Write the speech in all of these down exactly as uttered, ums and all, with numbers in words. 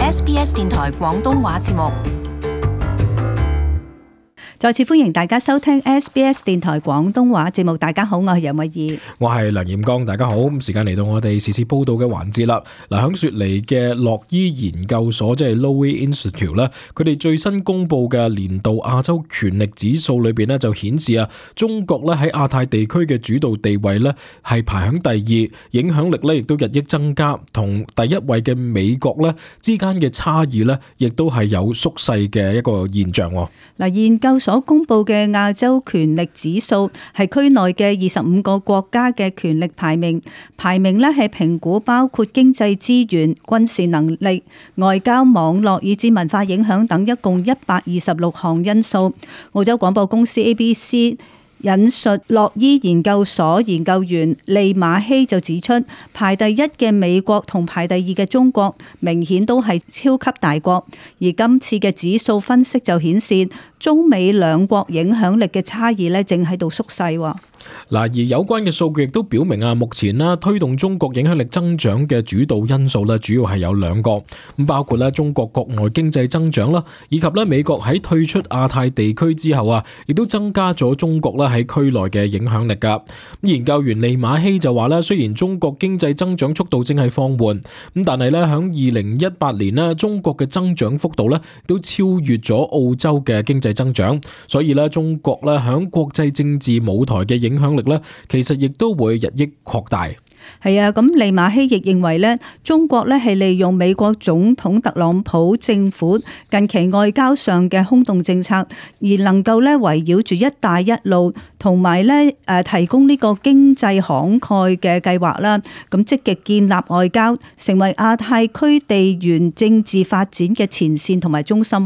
S B S 電台廣東話節目。再次歡迎大家收聽 S B S 電台廣東話節目。大家好，我係楊慧儀，我係梁彥剛。大家好，咁時間嚟到我哋時事報道嘅環節啦。嗱，響雪梨嘅洛伊研究所即係 Lowy Institute 咧，佢哋最新公布嘅年度亞洲權力指數裏邊咧就顯示啊，中國咧喺亞太地區嘅主導地位咧係排響第二，影響力咧亦都日益增加，同第一位嘅美國咧之間嘅差異咧亦都係有縮細嘅一個現象。嗱，研究所所公布嘅亞洲權力指數係區內嘅二十五個國家嘅權力排名，排名咧係評估包括經濟資源、軍事能力、外交網絡以至文化影響等一共一百二十六項因素。澳洲廣播公司 A B C 引述洛伊研究所研究員利馬希就指出，排第一嘅美國同排第二嘅中國明顯都係超級大國，而今次嘅指數分析就顯示中美兩國影響力嘅差異咧正喺度縮細。嗱，而有關嘅數據亦都表明啊，目前啦推動中國影響力增長嘅主導因素咧，主要係有兩個，咁包括咧中國國內經濟增長啦，以及咧美國喺退出亞太地區之後啊，亦都增加咗中國咧喺區內嘅影響力噶。咁研究員利馬希就話咧，雖然中國經濟增長速度正係放緩，咁但係咧響二零一八年咧，中國嘅增長幅度咧都超越咗澳洲嘅經濟增長，所以咧中國咧響國際政治舞台嘅影響力咧，其實亦都會日益擴大。係啊，咁利馬希亦認為咧，中國咧係利用美國總統特朗普政府近期外交上嘅空洞政策，而能夠咧圍繞住一帶一路同埋咧誒提供呢個經濟慷慨嘅計劃啦，咁積極建立外交，成為亞太區地緣政治發展嘅前線同埋中心。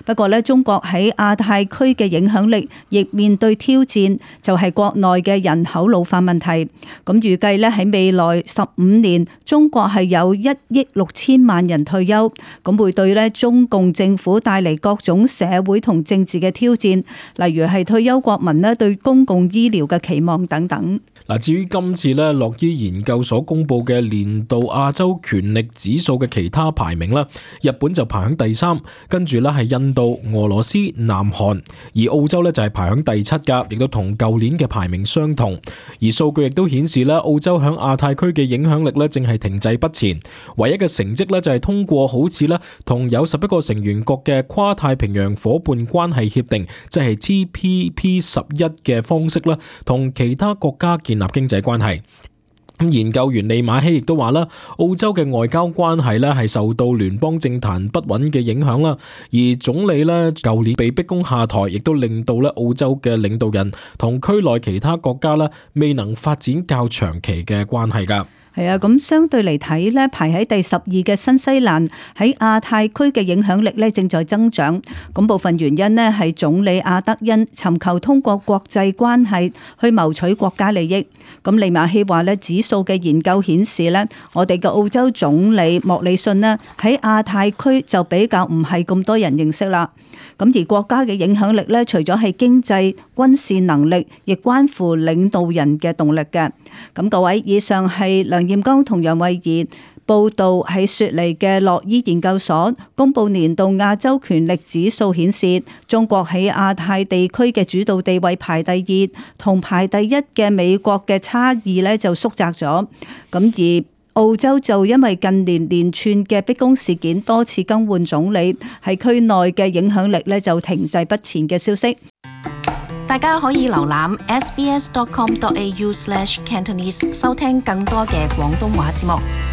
不過咧，中國喺亞太區嘅影響力亦面對挑戰，就係國內嘅人口老化問題。咁預計咧喺未來十五年，中國係有一億六千萬人退休，咁會對咧中共政府帶嚟各種社會同政治嘅挑戰，例如係退休國民咧對公共醫療嘅期望等等。嗱，至於今次咧洛伊研究所公布嘅年度亞洲權力指數嘅其他排名啦，日本就排喺第三，跟住咧係印度、俄羅斯、南韓，而澳洲咧就係排喺第七噶，亦都同舊年嘅排名相同。而數據亦都顯示咧，澳洲響亞太區嘅影響力咧正係停滯不前，唯一嘅成績咧就係通過好似咧同有十一個成員國嘅跨太平洋夥伴關係協定，即係 T P P 十一嘅方式啦，同其他國家建立經濟關係。咁研究員利馬希亦都話啦，澳洲嘅外交關係咧係受到聯邦政壇不穩嘅影響啦，而總理咧舊年被逼宮下台，亦都令到咧澳洲嘅領導人同區內其他國家咧未能發展較長期嘅關係噶。係啊，咁相對嚟睇咧，排喺第十二嘅新西蘭喺亞太區嘅影響力咧正在增長。咁部分原因呢係總理阿德恩尋求通過國際關係去謀取國家利益。咁利馬希話咧，指數嘅研究顯示咧，我哋嘅澳洲總理莫里遜呢喺亞太區就比較唔係咁多人認識啦。咁而國家嘅影響力咧，除咗係經濟、軍事能力，亦關乎領導人嘅動力嘅。咁各位，以上係梁彥剛同楊慧儀報道喺雪梨嘅洛伊研究所公布年度亞洲權力指數顯示，中國喺亞太地區嘅主導地位排第二，同排第一嘅美國嘅差異咧就縮窄咗。咁而澳洲就因為近年連串嘅逼宮事件多次更換總理，喺區內嘅影響力咧就停滯不前嘅消息。大家可以瀏覽 s b s dot com dot a u slash cantonese 收聽更多嘅廣東話節目。